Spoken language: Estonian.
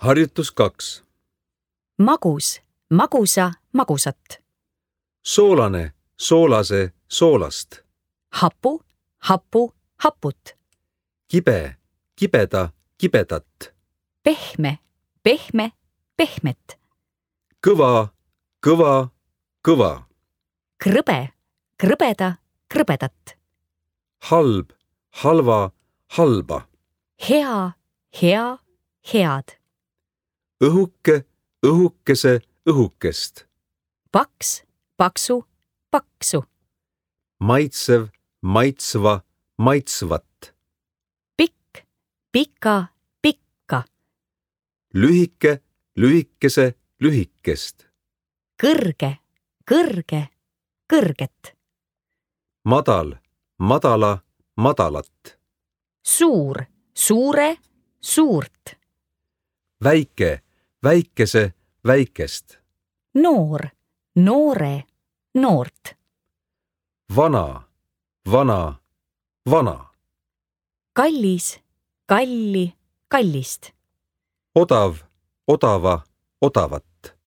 Harjutus 2. Magus, magusa, magusat. Soolane, soolase, soolast. Hapu, hapu, haput. Kibe, kibeda, kibedat. Pehme, pehme, pehmet. Kõva, kõva, kõva. Krõbe, krõbeda, krõbedat. Halb, halva, halba. Hea, hea, head. Õhuke, õhukese, õhukest. Paks, paksu, paksu. Maitsev, maitsva, maitsvat. Pikk, pika, pikka. Lühike, lühikese, lühikest. Kõrge, kõrge, kõrget. Madal, madala, madalat. Suur, suure, suurt. Väike, väikese, väikest. Noor, noore, noort. Vana, vana, vana. Kallis, kalli, kallist. Odav, odava, odavat.